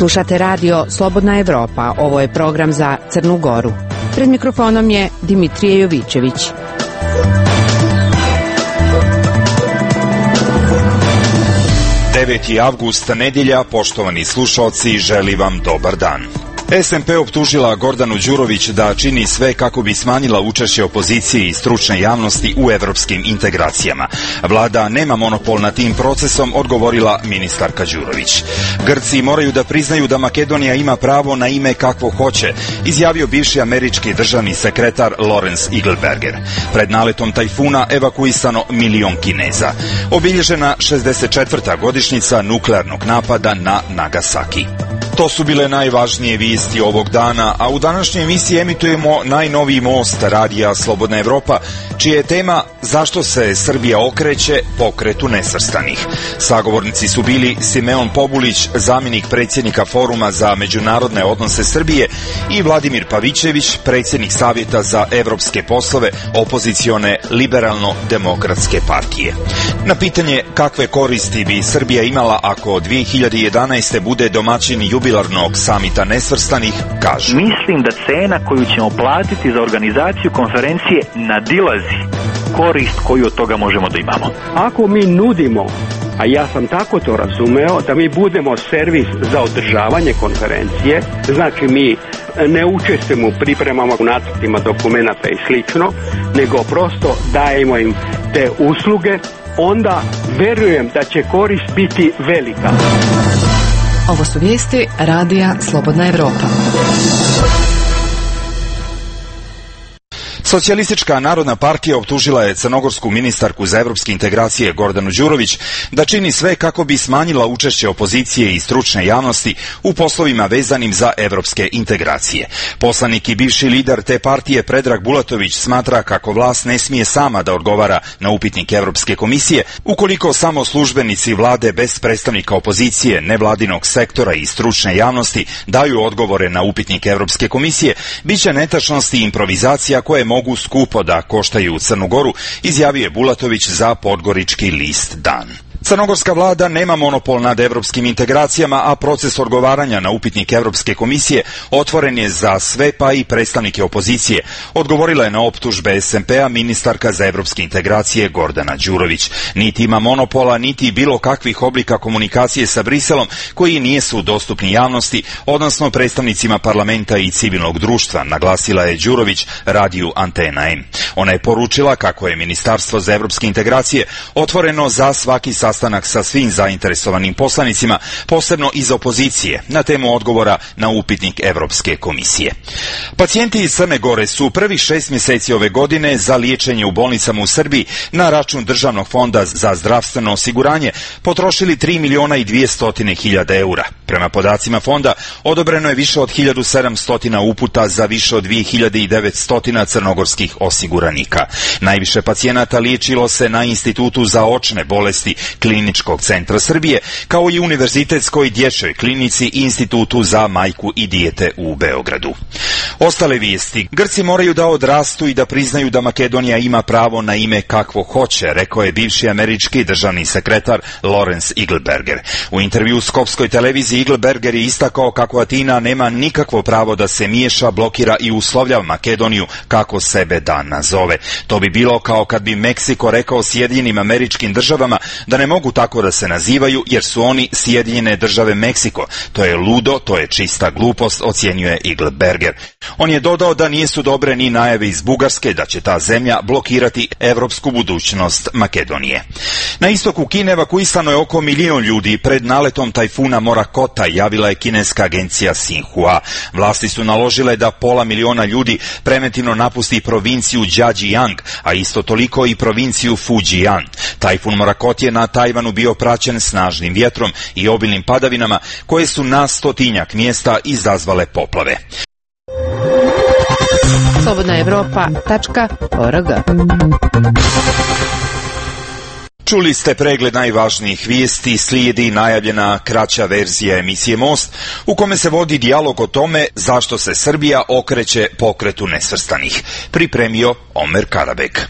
Slušate radio Slobodna Evropa. Ovo je program za Crnu Goru. Pred mikrofonom je Dimitrije Jovićević. Avgust, nedjelja, poštovani slušalci, želim vam dobar dan. SMP optužila Gordanu Đurović da čini sve kako bi smanjila učešće opozicije i stručne javnosti u evropskim integracijama. Vlada nema monopol nad tim procesom, odgovorila ministarka Đurović. Grci moraju da priznaju da Makedonija ima pravo na ime kakvo hoće, izjavio bivši američki državni sekretar Lawrence Eagleberger. Pred naletom tajfuna evakuisano 1 milion Kineza. Obilježena 64. godišnjica nuklearnog napada na Nagasaki. To su bile najvažnije vijesti ovog dana, a u današnjoj emisiji emitujemo najnoviji most radija Slobodna Evropa, čija je tema zašto se Srbija okreće pokretu nesvrstanih. Sagovornici su bili Simeon Pobulić, zamjenik predsjednika Foruma za međunarodne odnose Srbije, i Vladimir Pavićević, predsjednik Savjeta za evropske poslove opozicione liberalno-demokratske partije. Na pitanje kakve koristi bi Srbija imala ako 2011. bude domaćin jubilarnog samita nesvrstanih, kažu: mislim da cena koju ćemo platiti za organizaciju konferencije nadilazi korist koju od toga možemo da imamo. Ako mi nudimo, a ja sam tako to razumeo, da mi budemo servis za održavanje konferencije, znači mi ne učestvujemo u pripremama, u nacrtima dokumenata i slično, nego prosto dajemo im te usluge, onda verujem da će korist biti velika. Ovo su vijesti radija Slobodna Evropa. Socijalistička narodna partija optužila je crnogorsku ministarku za evropske integracije Gordanu Đurović da čini sve kako bi smanjila učešće opozicije i stručne javnosti u poslovima vezanim za evropske integracije. Poslanik i bivši lider te partije Predrag Bulatović smatra kako vlast ne smije sama da odgovara na upitnik Evropske komisije ukoliko samo službenici vlade bez predstavnika opozicije, nevladinog sektora i stručne javnosti daju odgovore na upitnik Evropske komisije, biće netačnosti i improvizacija koje mogu skupo da koštaju Crnu Goru, izjavio je Bulatović za podgorički list Dan. Crnogorska vlada nema monopol nad evropskim integracijama, a proces odgovaranja na upitnik Evropske komisije otvoren je za sve, pa i predstavnike opozicije, odgovorila je na optužbe SMP-a ministarka za evropske integracije Gordana Đurović. Niti ima monopola, niti bilo kakvih oblika komunikacije sa Briselom koji nisu dostupni javnosti, odnosno predstavnicima parlamenta i civilnog društva, naglasila je Đurović radiju Antena M. Ona je poručila kako je Ministarstvo za evropske integracije otvoreno za svaki sastanak sa svim zainteresovanim poslanicima, posebno iz opozicije, na temu odgovora na upitnik Evropske komisije. Pacijenti iz Crne Gore su prvih 6 mjeseci ove godine za liječenje u bolnicama u Srbiji na račun Državnog fonda za zdravstveno osiguranje potrošili 3.200.000 eura. Prema podacima fonda, odobreno je više od 1700 uputa za više od 2900 crnogorskih osiguranika. Najviše pacijenata liječilo se na Institutu za očne bolesti Kliničkog centra Srbije, kao i Univerzitetskoj dječjoj klinici i Institutu za majku i dijete u Beogradu. Ostale vijesti. Grci moraju da odrastu i da priznaju da Makedonija ima pravo na ime kakvo hoće, rekao je bivši američki državni sekretar Lawrence Eagleberger. U intervju Skopskoj televiziji Eagleberger je istakao kako Atina nema nikakvo pravo da se miješa, blokira i uslovljava Makedoniju kako sebe da nazove. To bi bilo kao kad bi Meksiko rekao Sjedinjenim Američkim Državama da ne mogu tako da se nazivaju jer su oni Sjedinjene Države Meksiko. To je ludo, to je čista glupost, ocjenjuje Eagleberger. On je dodao da nisu dobre ni najave iz Bugarske da će ta zemlja blokirati evropsku budućnost Makedonije. Na istoku Kine evakuisano je oko 1 milion ljudi pred naletom tajfuna Morakota, javila je kineska agencija Xinhua. Vlasti su naložile da 500.000 ljudi preventivno napusti provinciju Zhejiang, a isto toliko i provinciju Fujian. Tajfun Morakot je na Tajvanu bio praćen snažnim vjetrom i obilnim padavinama koje su na 100-tinjak mjesta izazvale poplave. slobodnaevropa.org. Čuli ste pregled najvažnijih vijesti, slijedi najavljena kraća verzija emisije Most, u kome se vodi dijalog o tome zašto se Srbija okreće pokretu nesvrstanih. Pripremio Omer Karabek.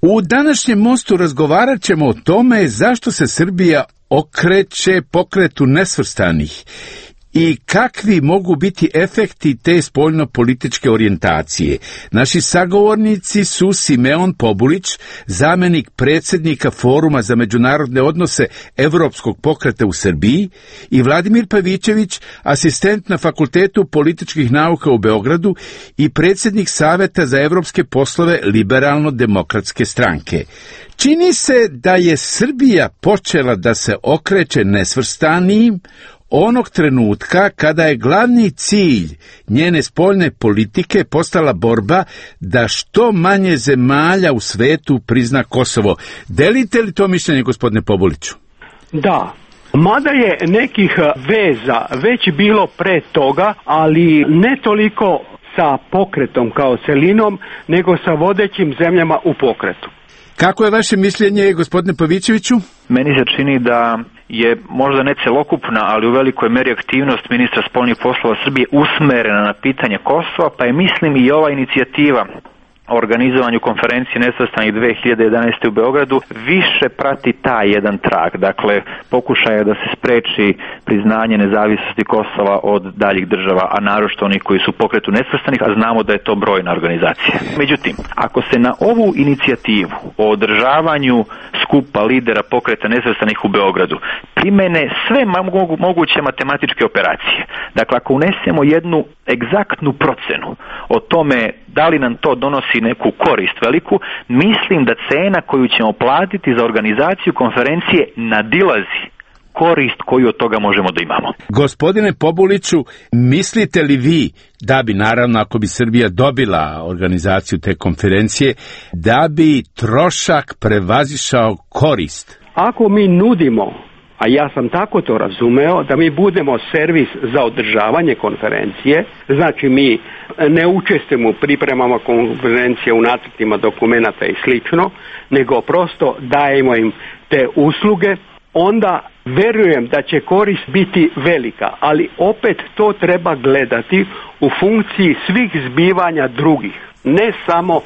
U današnjem mostu razgovarat ćemo o tome zašto se Srbija okreće pokretu nesvrstanih i kakvi mogu biti efekti te spoljno-političke orijentacije. Naši sagovornici su Simeon Pobulić, zamenik predsjednika Foruma za međunarodne odnose Evropskog pokreta u Srbiji, i Vladimir Pavićević, asistent na Fakultetu političkih nauka u Beogradu i predsjednik Saveta za evropske poslove Liberalno-demokratske stranke. Čini se da je Srbija počela da se okreće nesvrstanijim onog trenutka kada je glavni cilj njene spoljne politike postala borba da što manje zemalja u svetu prizna Kosovo. Delite li to mišljenje, gospodine Pobuliću? Da. Mada je nekih veza već bilo pre toga, ali ne toliko sa pokretom kao celinom, nego sa vodećim zemljama u pokretu. Kako je vaše mišljenje, gospodine Pavićeviću? Meni se čini da je možda ne celokupna, ali u velikoj meri aktivnost ministra spoljnih poslova Srbije usmerena na pitanje Kosova, pa je, mislim, i ova inicijativa o organizovanju konferencije nesvrstanih 2011. u Beogradu više prati taj jedan trag. Dakle, pokušaj je da se spreči priznanje nezavisnosti Kosova od daljih država, a naročito onih koji su u pokretu nesvrstanih, a znamo da je to brojna organizacija. Međutim, ako se na ovu inicijativu o održavanju skupa lidera pokreta nesvrstanih u Beogradu primene sve moguće matematičke operacije, dakle, ako unesemo jednu egzaktnu procenu o tome da li nam to donosi neku korist veliku, mislim da cena koju ćemo platiti za organizaciju konferencije nadilazi korist koju od toga možemo da imamo. Gospodine Pobuliću, mislite li vi da bi, naravno, ako bi Srbija dobila organizaciju te konferencije, da bi trošak prevazišao korist? Ako mi nudimo, a ja sam tako to razumeo, da mi budemo servis za održavanje konferencije, znači mi ne učestvujemo u pripremama konferencije, u nacrtima dokumenata i slično, nego prosto dajemo im te usluge, onda verujem da će korist biti velika, ali opet to treba gledati u funkciji svih zbivanja drugih, ne samo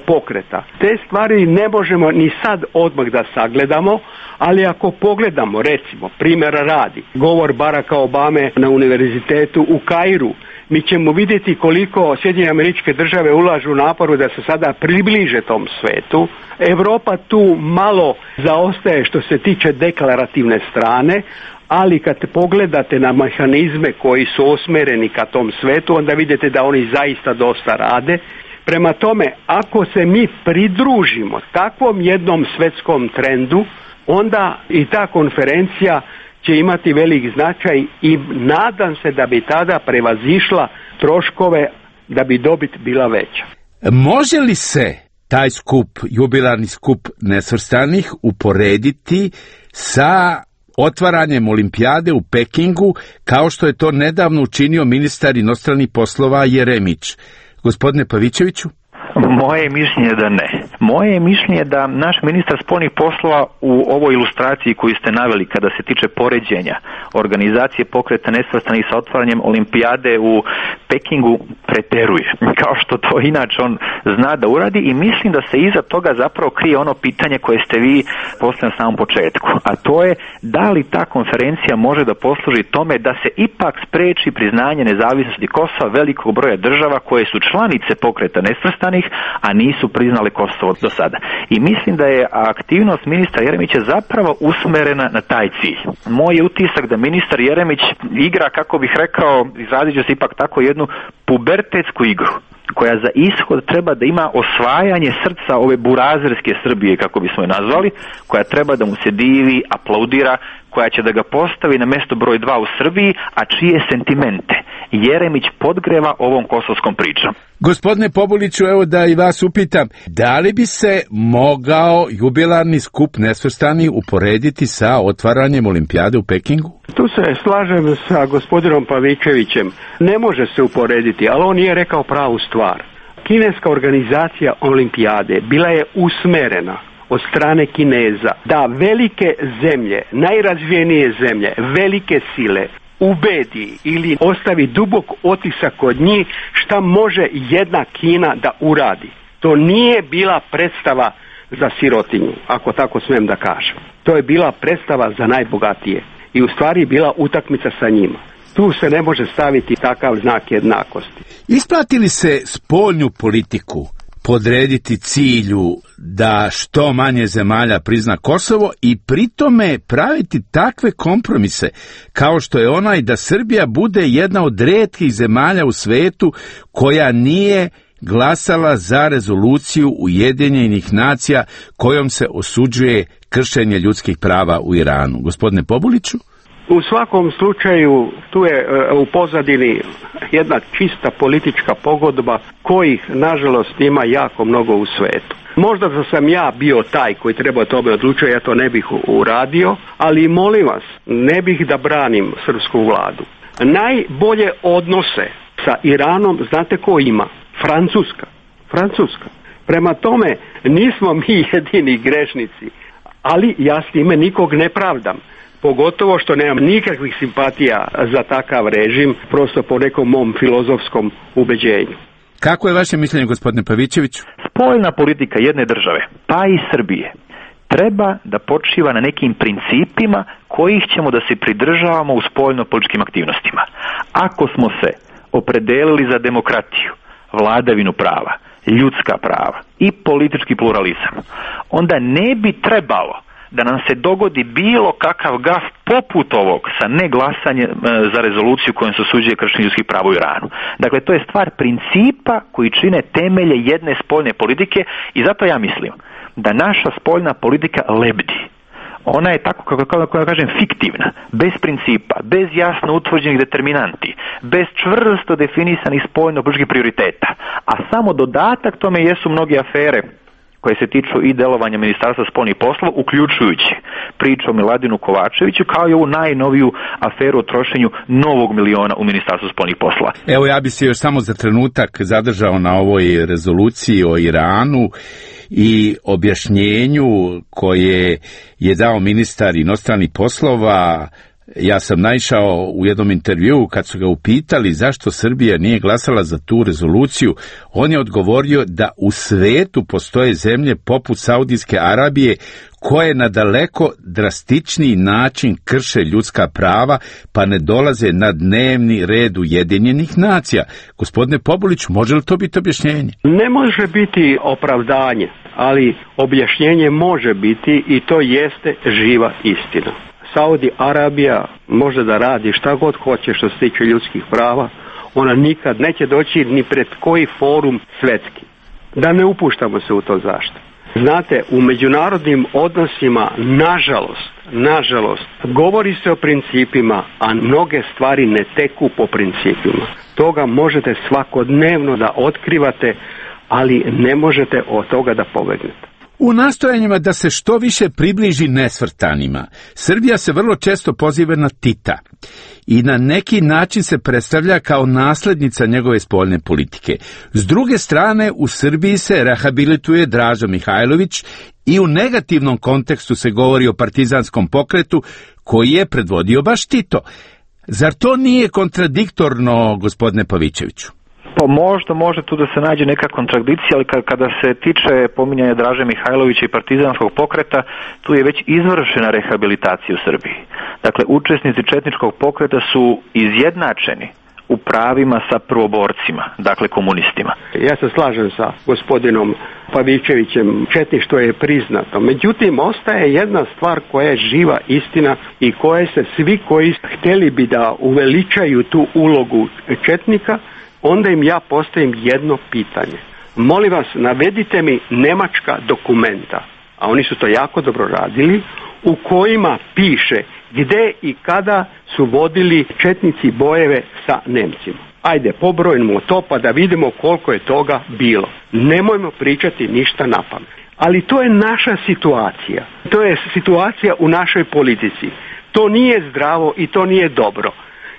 pokreta. Te stvari ne možemo ni sad odmah da sagledamo, ali ako pogledamo, recimo, primjera radi, govor Baracka Obame na univerzitetu u Kairu, mi ćemo vidjeti koliko Sjedinjene Američke Države ulažu naporu da se sada približe tom svetu. Europa tu malo zaostaje što se tiče deklarativne strane, ali kad pogledate na mehanizme koji su usmjereni ka tom svetu, onda vidite da oni zaista dosta rade. Prema tome, ako se mi pridružimo takvom jednom svjetskom trendu, onda i ta konferencija će imati velik značaj i nadam se da bi tada prevazišla troškove, da bi dobit bila veća. Može li se taj skup, jubilarni skup nesvrstanih, uporediti sa otvaranjem olimpijade u Pekingu, kao što je to nedavno učinio ministar inostranih poslova Jeremić? Gospodine Pavićeviću? Moje je mišljenje da ne. Moje je mišljenje da naš ministar spoljnih poslova u ovoj ilustraciji koju ste naveli kada se tiče poređenja organizacije pokreta nesvrstanih sa otvaranjem olimpijade u Pekingu preteruje, kao što to inače on zna da uradi, i mislim da se iza toga zapravo krije ono pitanje koje ste vi postavili na samom početku, a to je da li ta konferencija može da posluži tome da se ipak spreči priznanje nezavisnosti Kosova velikog broja država koje su članice pokreta nesvrstanih, a nisu priznali Kosovo do sada. I mislim da je aktivnost ministra Jeremića zapravo usmerena na taj cilj. Moj je utisak da ministar Jeremić igra, kako bih rekao, izrazit ću se ipak tako, jednu pubertetsku igru, koja za ishod treba da ima osvajanje srca ove burazerske Srbije, kako bismo je nazvali, koja treba da mu se divi, aplaudira, koja će da ga postavi na mesto broj 2 u Srbiji, a čije sentimente Jeremić podgreva ovom kosovskom pričom. Gospodine Pobuliću, evo da i vas upitam, da li bi se mogao jubilarni skup nesvrstanih uporediti sa otvaranjem olimpijade u Pekingu? Tu se slažem sa gospodinom Pavićevićem. Ne može se uporediti, ali on nije rekao pravu stvar. Kineska organizacija olimpijade bila je usmerena od strane Kineza da velike zemlje, najrazvijenije zemlje, velike sile ubedi ili ostavi dubok otisak kod njih šta može jedna Kina da uradi. To nije bila predstava za sirotinju, ako tako smijem da kažem. To je bila predstava za najbogatije i u stvari bila utakmica sa njima. Tu se ne može staviti takav znak jednakosti. Isplati li se spoljnu politiku podrediti cilju da što manje zemalja prizna Kosovo i pritome praviti takve kompromise kao što je onaj da Srbija bude jedna od retkih zemalja u svetu koja nije glasala za rezoluciju Ujedinjenih nacija kojom se osuđuje kršenje ljudskih prava u Iranu? Gospodine Pobuliću? U svakom slučaju tu je u pozadini jedna čista politička pogodba kojih nažalost ima jako mnogo u svetu. Možda da sam ja bio taj koji treba o tome odlučiti, ja to ne bih uradio, ali molim vas, ne bih da branim srpsku vladu. Najbolje odnose sa Iranom znate ko ima? Francuska. Prema tome nismo mi jedini grešnici, ali ja s time nikog ne pravdam. Pogotovo što nemam nikakvih simpatija za takav režim, prosto po nekom mom filozofskom ubeđenju. Kako je vaše mišljenje, gospodine Pavićeviću? Spoljna politika jedne države, pa i Srbije, treba da počiva na nekim principima kojih ćemo da se pridržavamo u spoljno-političkim aktivnostima. Ako smo se opredelili za demokratiju, vladavinu prava, ljudska prava i politički pluralizam, onda ne bi trebalo da nam se dogodi bilo kakav gaf poput ovog sa neglasanjem za rezoluciju kojom se osuđuje kršenje ljudskih prava u Iranu. Dakle, to je stvar principa koji čine temelje jedne spoljne politike i zato ja mislim da naša spoljna politika lebdi. Ona je tako, kako kažem, fiktivna, bez principa, bez jasno utvrđenih determinanti, bez čvrsto definisanih spoljno-političkih prioriteta. A samo dodatak tome jesu mnoge afere koje se tiču i delovanja Ministarstva spoljnih poslova, uključujući priču o Miladinu Kovačeviću, kao i ovu najnoviju aferu o trošenju novog miliona u Ministarstvu spoljnih poslova. Evo, ja bi se još samo za trenutak zadržao na ovoj rezoluciji o Iranu i objašnjenju koje je dao ministar inostranih poslova. Ja sam naišao u jednom intervjuu kad su ga upitali zašto Srbija nije glasala za tu rezoluciju. On je odgovorio da u svetu postoje zemlje poput Saudijske Arabije koje na daleko drastičniji način krše ljudska prava pa ne dolaze na dnevni red Ujedinjenih nacija. Gospodine Pobulić, može li to biti objašnjenje? Ne može biti opravdanje, ali objašnjenje može biti i to jeste živa istina. Saudi Arabija može da radi šta god hoće što se tiče ljudskih prava, ona nikad neće doći ni pred koji forum svetski. Da ne upuštamo se u to zašto. Znate, u međunarodnim odnosima, nažalost, govori se o principima, a mnoge stvari ne teku po principima. Toga možete svakodnevno da otkrivate, ali ne možete od toga da pobegnete. U nastojanjima da se što više približi nesvrstanima, Srbija se vrlo često poziva na Tita i na neki način se predstavlja kao naslednica njegove spoljne politike. S druge strane, u Srbiji se rehabilituje Draža Mihajlović i u negativnom kontekstu se govori o partizanskom pokretu koji je predvodio baš Tito. Zar to nije kontradiktorno, gospodine Pavićeviću? Pa možda može tu da se nađe neka kontradikcija, ali kada se tiče pominjanja Draže Mihajlovića i partizanskog pokreta, tu je već izvršena rehabilitacija u Srbiji. Dakle, učesnici četničkog pokreta su izjednačeni u pravima sa prvoborcima, dakle komunistima. Ja se slažem sa gospodinom Pavićevićem, četništvo je priznato. Međutim, ostaje jedna stvar koja je živa istina i koje se svi koji htjeli bi da uveličaju tu ulogu četnika, onda im ja postavim jedno pitanje. Molim vas, navedite mi nemačka dokumenta, a oni su to jako dobro radili, u kojima piše gde i kada su vodili četnici bojeve sa Nemcima. Ajde, pobrojimo to pa da vidimo koliko je toga bilo. Nemojmo pričati ništa napamet. Ali to je naša situacija. To je situacija u našoj politici. To nije zdravo i to nije dobro.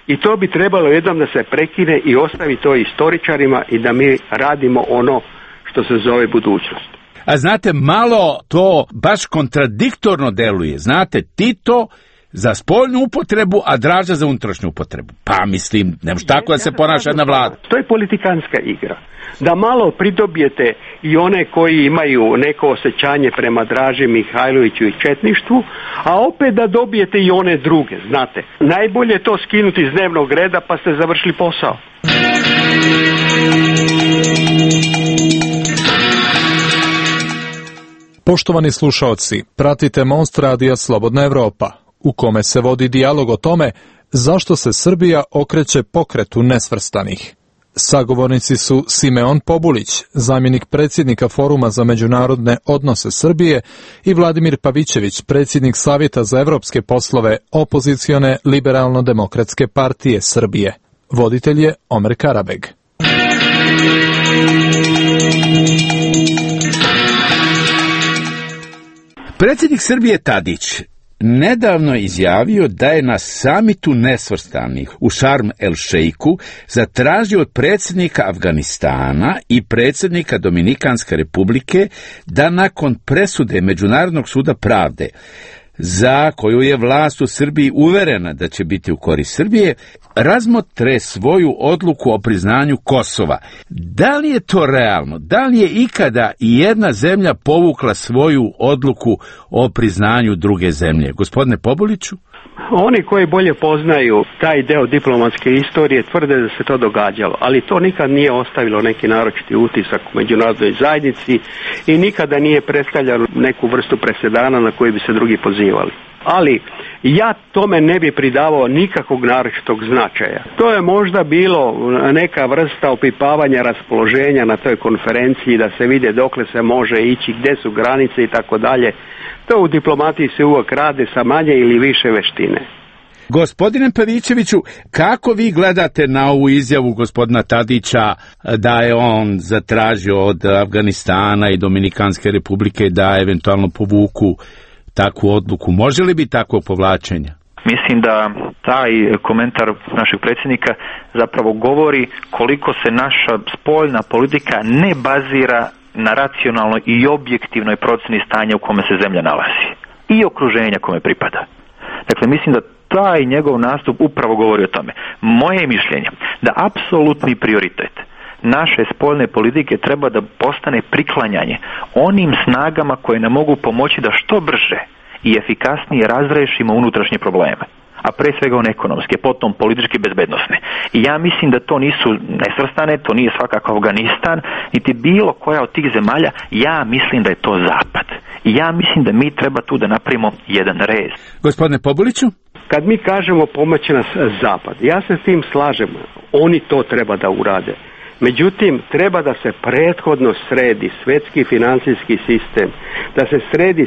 I to bi trebalo jednom da se prekine i ostavi to istoričarima i da mi radimo ono što se zove budućnost. A znate, malo to baš kontradiktorno deluje. Znate, Tito za spoljnu upotrebu, a Draža za unutrašnju upotrebu. Pa mislim, ne može tako da se ponaša jedna vlada. To je politikanska igra. Da malo pridobijete i one koji imaju neko osjećanje prema Draži Mihajloviću i četništvu, a opet da dobijete i one druge, znate. Najbolje je to skinuti iz dnevnog reda pa ste završili posao. Poštovani slušaoci, pratite Most radija Slobodna Evropa, u kome se vodi dijalog o tome zašto se Srbija okreće pokretu nesvrstanih. Sagovornici su Simeon Pobulić, zamjenik predsjednika Foruma za međunarodne odnose Srbije, i Vladimir Pavićević, predsjednik Savjeta za evropske poslove opozicione Liberalno-demokratske partije Srbije. Voditelj je Omer Karabeg. Predsjednik Srbije Tadić nedavno izjavio da je na samitu nesvrstanih u Šarm el Šeiku zatražio od predsjednika Afganistana i predsjednika Dominikanske republike da nakon presude Međunarodnog suda pravde, za koju je vlast u Srbiji uverena da će biti u korist Srbije, razmotre svoju odluku o priznanju Kosova. Da li je to realno? Da li je ikada i jedna zemlja povukla svoju odluku o priznanju druge zemlje? Gospodine Pobuliću? Oni koji bolje poznaju taj deo diplomatske istorije tvrde da se to događalo, ali to nikad nije ostavilo neki naročiti utisak u međunarodnoj zajednici i nikada nije predstavljalo neku vrstu presedana na koji bi se drugi pozivali. Ali ja tome ne bi pridavao nikakvog naročitog značaja. To je možda bilo neka vrsta opipavanja raspoloženja na toj konferenciji, da se vide dokle se može ići, gdje su granice i tako dalje. To u diplomatiji se uvijek rade sa manje ili više veštine. Gospodine Pavićeviću, kako vi gledate na ovu izjavu gospodina Tadića da je on zatražio od Afganistana i Dominikanske republike da eventualno povuku takvu odluku? Može li biti takvo povlačenja? Mislim da taj komentar našeg predsjednika zapravo govori koliko se naša spoljna politika ne bazira na racionalnoj i objektivnoj procjeni stanja u kome se zemlja nalazi i okruženja kome pripada. Dakle, mislim da taj njegov nastup upravo govori o tome. Moje mišljenje da apsolutni prioritet naše spoljne politike treba da postane priklanjanje onim snagama koje nam mogu pomoći da što brže i efikasnije razrešimo unutrašnje probleme, a pre svega one ekonomske, potom političke i bezbednosne. I ja mislim da to nisu nesvrstane, to nije svakako Afganistan, niti bilo koja od tih zemalja, ja mislim da je to Zapad. I ja mislim da mi treba tu da napravimo jedan rez. Gospodine Pobuliću? Kad mi kažemo pomoći nas Zapad, ja se s tim slažem, oni to treba da urade. Međutim, treba da se prethodno sredi svjetski financijski sistem, da se sredi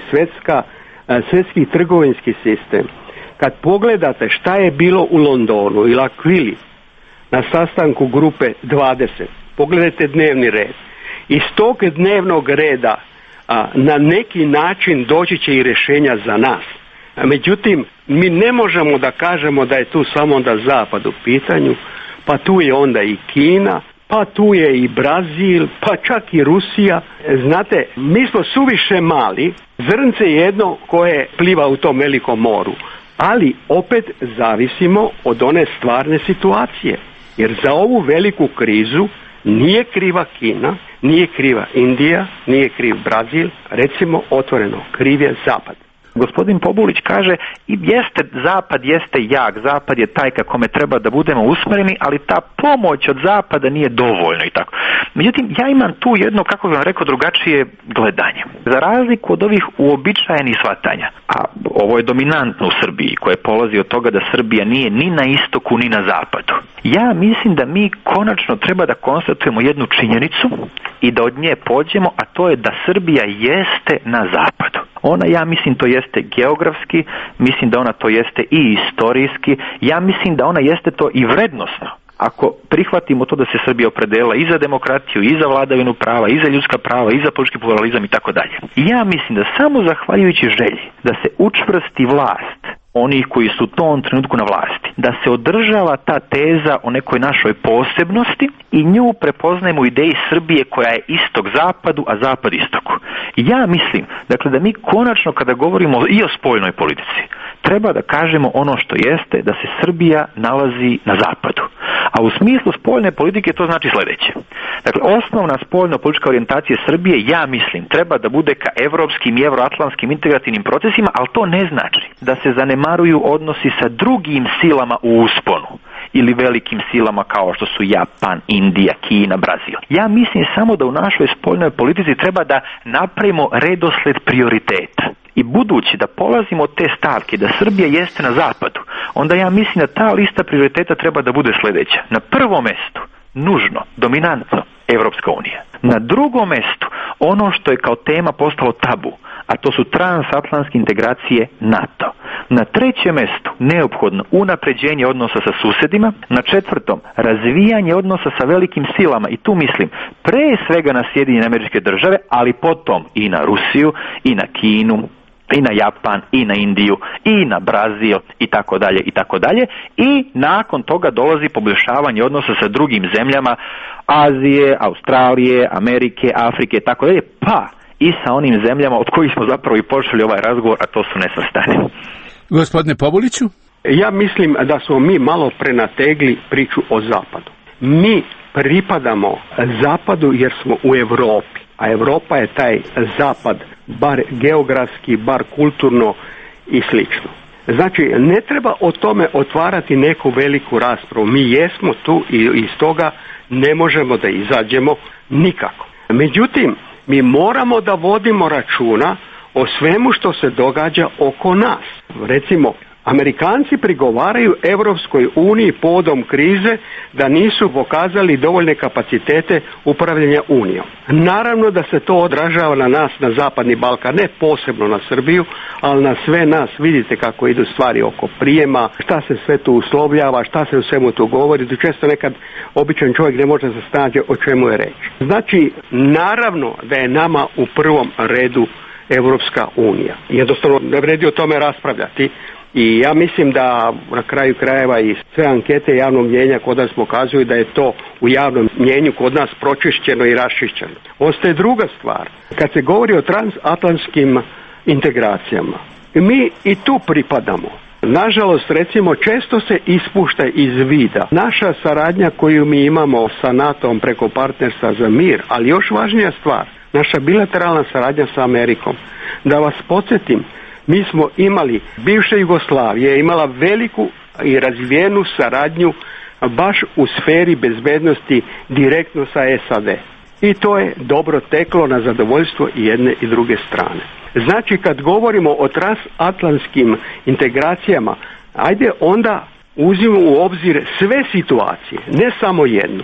svjetski trgovinski sistem. Kad pogledate šta je bilo u Londonu ili Aquili na sastanku grupe 20, pogledajte dnevni red. Iz tog dnevnog reda na neki način doći će i rješenja za nas. Međutim, mi ne možemo da kažemo da je tu samo onda Zapad u pitanju, pa tu je onda i Kina, pa tu je i Brazil, pa čak i Rusija. Znate, mi smo suviše mali, zrnce jedno koje pliva u tom velikom moru, ali opet zavisimo od one stvarne situacije. Jer za ovu veliku krizu nije kriva Kina, nije kriva Indija, nije kriv Brazil, recimo otvoreno, kriv je Zapad. Gospodin Pobulić kaže i Zapad jeste jak, Zapad je taj ka kome treba da budemo usmjereni, ali ta pomoć od Zapada nije dovoljna i tako. Međutim, ja imam tu jedno, kako bih vam rekao, drugačije gledanje. Za razliku od ovih uobičajenih shvatanja, a ovo je dominantno u Srbiji, koje polazi od toga da Srbija nije ni na istoku ni na zapadu. Ja mislim da mi konačno treba da konstatujemo jednu činjenicu i da od nje pođemo, a to je da Srbija jeste na zapadu. Ona, ja mislim, to jeste geografski, mislim da ona to jeste i istorijski, ja mislim da ona jeste to i vrednosno. Ako prihvatimo to da se Srbija opredela i za demokraciju, i za vladavinu prava, i za ljudska prava, i za politički pluralizam i tako dalje. Ja mislim da samo zahvaljujući želji da se učvrsti vlast onih koji su u tom trenutku na vlasti, da se održava ta teza o nekoj našoj posebnosti i nju prepoznajemo u ideji Srbije koja je istok zapadu, a zapad istoku. Ja mislim, dakle, da mi konačno kada govorimo i o spoljnoj politici, treba da kažemo ono što jeste, da se Srbija nalazi na zapadu. A u smislu spoljne politike to znači sledeće. Dakle, osnovna spoljno-politička orijentacija Srbije, ja mislim, treba da bude ka evropskim i evroatlantskim integrativnim procesima, ali to ne znači da se zanemaruju odnosi sa drugim silama u usponu ili velikim silama kao što su Japan, Indija, Kina, Brazil. Ja mislim samo da u našoj spoljnoj politici treba da napravimo redosled prioriteta. I budući da polazimo od te stavke da Srbija jeste na zapadu, onda ja mislim da ta lista prioriteta treba da bude sledeća. Na prvom mestu, nužno, dominantno, Evropska unija. Na drugom mestu, ono što je kao tema postalo tabu, a to su transatlantske integracije NATO. Na trećem mestu, neophodno, unapređenje odnosa sa susedima. Na četvrtom, razvijanje odnosa sa velikim silama, i tu mislim pre svega na Sjedinjene Američke Države, ali potom i na Rusiju, i na Kinu, i na Japan, i na Indiju, i na Brazil, i tako dalje, i tako dalje. I nakon toga dolazi poboljšavanje odnosa sa drugim zemljama Azije, Australije, Amerike, Afrike, i tako dalje, pa i sa onim zemljama od kojih smo zapravo i počeli ovaj razgovor, a to su nesvrstani. Gospodine Pobuliću? Ja mislim da smo mi malo prenategli priču o zapadu. Mi pripadamo zapadu jer smo u Europi, a Europa je taj zapad, bar geografski, bar kulturno i slično. Znači, ne treba o tome otvarati neku veliku raspravu. Mi jesmo tu i iz toga ne možemo da izađemo nikako. Međutim, mi moramo da vodimo računa o svemu što se događa oko nas. Recimo, Amerikanci prigovaraju Evropskoj uniji povodom krize da nisu pokazali dovoljne kapacitete upravljanja Unijom. Naravno da se to odražava na nas, na Zapadni Balkan, ne posebno na Srbiju, ali na sve nas. Vidite kako idu stvari oko prijema, šta se sve tu uslovljava, šta se u svemu tu govori, da često nekad običan čovjek ne može se snaći o čemu je reč. Znači, naravno da je nama u prvom redu Evropska unija. Jednostavno ne vredi o tome raspravljati. I ja mislim da na kraju krajeva i sve ankete javnog mnjenja kod nas pokazuju da je to u javnom mnjenju kod nas pročišćeno i raščišćeno. Ostaje druga stvar. Kad se govori o transatlantskim integracijama, mi i tu pripadamo. Nažalost, recimo, često se ispušta iz vida naša saradnja koju mi imamo sa NATO-om preko partnerstva za mir, ali još važnija stvar, naša bilateralna saradnja sa Amerikom. Da vas podsjetim, mi smo imali, bivša Jugoslavija je imala veliku i razvijenu saradnju baš u sferi bezbednosti direktno sa SAD. I to je dobro teklo na zadovoljstvo i jedne i druge strane. Znači, kad govorimo o transatlantskim integracijama, ajde onda uzmimo u obzir sve situacije, ne samo jednu.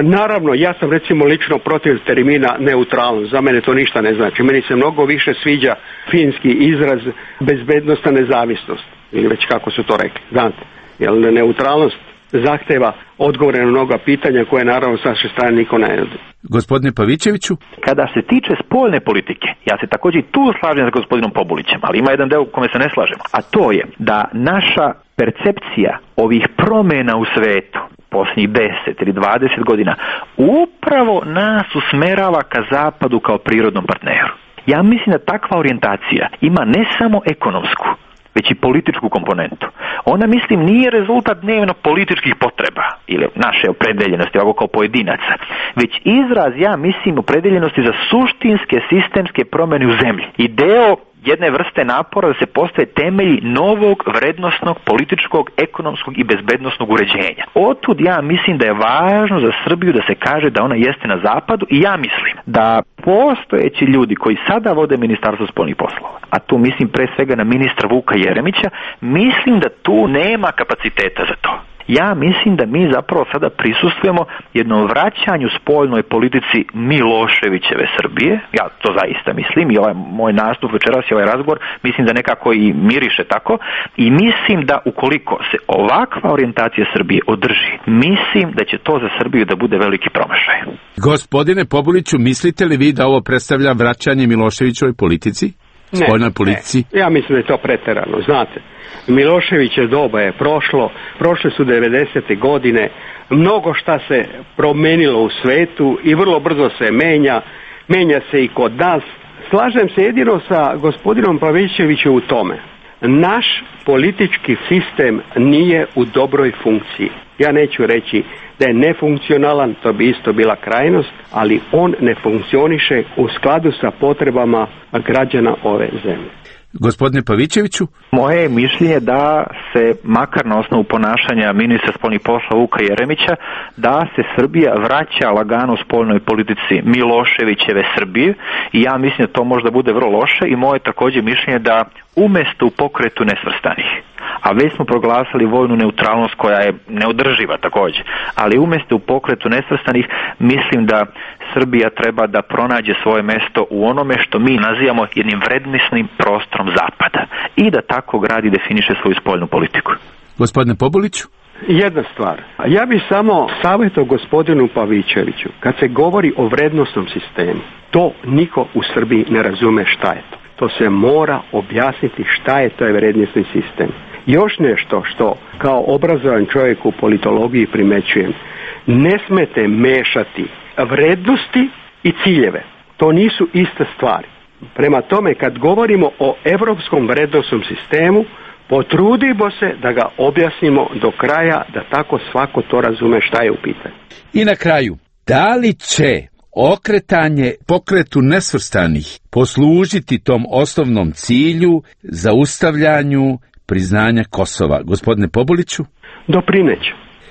Naravno, ja sam recimo lično protiv termina neutralnost, za mene to ništa ne znači. Meni se mnogo više sviđa finski izraz bezbednostna nezavisnost, ili već kako su to rekli, znate, jer neutralnost zahteva odgovore na mnoga pitanja koje naravno s naše strane niko ne nudi. Gospodine Pavićeviću? Kada se tiče spoljne politike, ja se također i tu slažem s gospodinom Pobulićem, ali ima jedan deo u kome se ne slažemo, a to je da naša percepcija ovih promjena u svetu posljednjih 10 ili 20 godina upravo nas usmerava ka zapadu kao prirodnom partneru. Ja mislim da takva orijentacija ima ne samo ekonomsku, već i političku komponentu. Ona, mislim, nije rezultat dnevno političkih potreba ili naše opredeljenosti, ovako kao pojedinaca, već izraz, ja mislim, opredeljenosti za suštinske sistemske promjene u zemlji. I deo jedne vrste napora da se postave temelji novog vrednosnog, političkog, ekonomskog i bezbednosnog uređenja. Otud ja mislim da je važno za Srbiju da se kaže da ona jeste na zapadu i ja mislim da postojeći ljudi koji sada vode Ministarstvo spoljnih poslova, a tu mislim pre svega na ministra Vuka Jeremića, mislim da tu nema kapaciteta za to. Ja mislim da mi zapravo sada prisustvujemo jednom vraćanju spoljnoj politici Miloševićeve Srbije. Ja to zaista mislim i ovaj moj nastup večeras i ovaj razgovor mislim da nekako i miriše tako. I mislim da ukoliko se ovakva orijentacija Srbije održi, mislim da će to za Srbiju da bude veliki promašaj. Gospodine Pobuliću, mislite li vi da ovo predstavlja vraćanje Miloševićevoj politici? spoljnoj politici? Ja mislim da je to pretjerano, znate. Miloševićev doba je prošle su 90. godine, mnogo šta se promenilo u svetu i vrlo brzo se menja se i kod nas. Slažem se jedino sa gospodinom Pavićevićem u tome. Naš politički sistem nije u dobroj funkciji. Ja neću reći da je nefunkcionalan, to bi isto bila krajnost, ali on ne funkcioniše u skladu sa potrebama građana ove zemlje. Gospodine Pavićeviću? Moje je mišljenje da se, makar na osnovu ponašanja ministra spoljnih poslova Vuka Jeremića, da se Srbija vraća lagano u spoljnoj politici Miloševićeve Srbije i ja mislim da to možda bude vrlo loše i moje također mišljenje da umesto u pokretu nesvrstanih, a već smo proglasili vojnu neutralnost koja je neodrživa također, ali umjesto u pokretu nesvrstanih mislim da Srbija treba da pronađe svoje mesto u onome što mi nazivamo jednim vrednosnim prostorom Zapada i da tako gradi i definiše svoju spoljnu politiku. Gospodine Pobuliću? Jedna stvar. Ja bih samo savjetao gospodinu Pavićeviću, kad se govori o vrednosnom sistemu, to niko u Srbiji ne razume šta je to. To se mora objasniti šta je to vrednosni sistem. Još nešto što kao obrazovan čovjek u politologiji primećujem, ne smete mešati vrednosti i ciljeve. To nisu iste stvari. Prema tome, kad govorimo o europskom vrednosnom sistemu, potrudimo se da ga objasnimo do kraja, da tako svako to razume šta je u pitanju. I na kraju, da li će okretanje pokretu nesvrstanih poslužiti tom osnovnom cilju, zaustavljanju priznanja Kosova? Gospodine Pobuliću?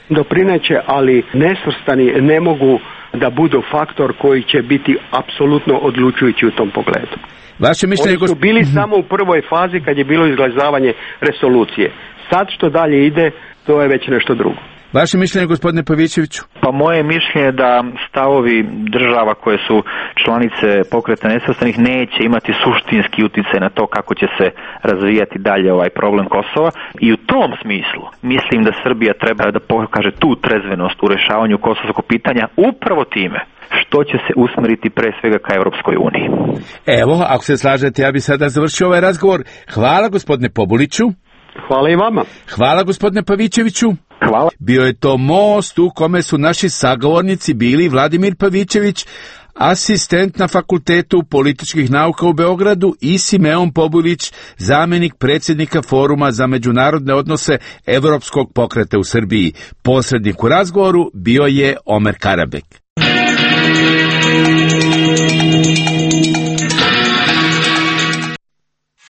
Doprineće, ali nesvrstani ne mogu da budu faktor koji će biti apsolutno odlučujući u tom pogledu. Vaše mišljenje, oni su bili samo u prvoj fazi kad je bilo izglasavanje resolucije. Sad što dalje ide, to je već nešto drugo. Vaše mišljenje, gospodine Pavićeviću? Pa moje mišljenje je da stavovi država koje su članice pokreta nesvrstanih neće imati suštinski utjecaj na to kako će se razvijati dalje ovaj problem Kosova i u tom smislu mislim da Srbija treba da pokaže tu trezvenost u rješavanju kosovskog pitanja upravo time što će se usmeriti pre svega ka Europskoj uniji. Evo, ako se slažete, ja bih sada završio ovaj razgovor. Hvala gospodine Pobuliću. Hvala i vama. Hvala gospodine Pavićeviću. Hvala. Bio je to most u kome su naši sagovornici bili Vladimir Pavićević, asistent na Fakultetu političkih nauka u Beogradu, i Simeon Pobulić, zamjenik predsjednika Foruma za međunarodne odnose Evropskog pokreta u Srbiji. Posrednik u razgovoru bio je Omer Karabek.